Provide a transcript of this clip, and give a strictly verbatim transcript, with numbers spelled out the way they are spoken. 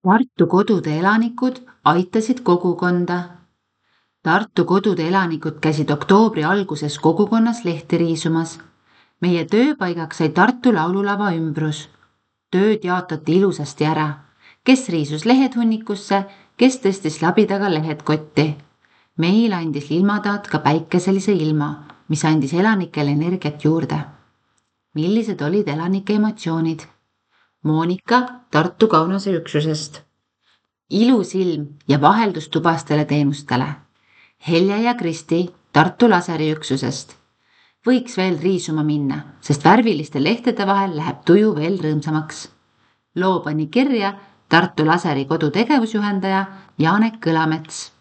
Tartu kodude elanikud aitasid kogukonda. Tartu kodude elanikud käisid oktoobri alguses kogukonnas lehti riisumas. Meie tööpaigaks sai Tartu laululava ümbrus. Tööd jaotati ilusasti ära. Kes riisus lehed hunnikusse, kes tõstis labidaga lehed kotti. Meil andis ilmataat ka päikeselise ilma, mis andis elanikele energiat juurde. Millised olid elanike emotsioonid? Moonika Tartu Kaunase üksusest. Ilus ilm ja vaheldus tubastele teenustele. Helja ja Kristi Tartu Laseri üksusest. Võiks veel riisuma minna, sest värviliste lehtede vahel läheb tuju veel rõõmsamaks. Loo pani kirja Tartu Laseri kodu tegevusjuhendaja Janek Kõlamets.